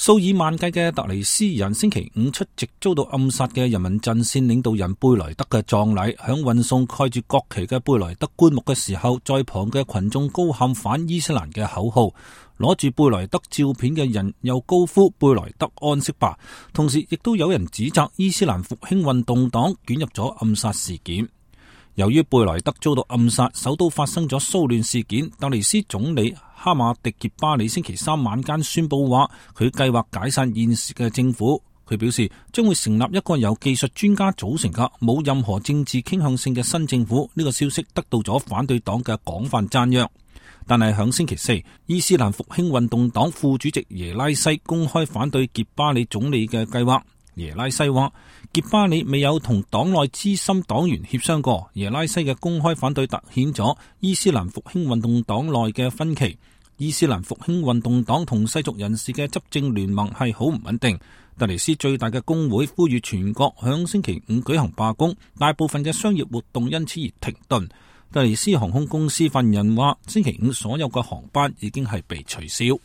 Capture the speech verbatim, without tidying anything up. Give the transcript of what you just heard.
數以萬計嘅突尼斯人星期五出席遭到暗殺嘅人民陣線領導人貝萊德嘅葬禮，響運送蓋住國旗嘅貝萊德棺木嘅時候，在旁嘅群眾高喊反伊斯蘭嘅口號，攞住貝萊德照片嘅人又高呼貝萊德安息吧，同時亦都有人指責伊斯蘭復興運動黨捲入咗暗殺事件。由於貝萊德遭到暗殺，首都發生咗騷亂事件。突尼斯總理哈馬迪傑巴里星期三晚間宣布話，佢計劃解散現時嘅政府。佢表示將會成立一個由技術專家組成嘅冇任何政治傾向性嘅新政府。呢個消息得到咗反對黨嘅廣泛讚揚。但係響星期四，伊斯蘭復興運動黨副主席耶拉西公開反對傑巴里總理嘅計劃。耶拉西話，傑巴里未有同黨內資深黨員協商過。耶拉西嘅公開反對凸顯咗伊斯蘭復興運動黨內嘅分歧。伊斯蘭復興運動黨同世俗人士嘅執政聯盟係好唔穩定。突尼斯最大嘅工會呼籲全國響星期五舉行罷工，大部分嘅商業活動因此而停頓。突尼斯航空公司發言人話，星期五所有嘅航班已經係被取消。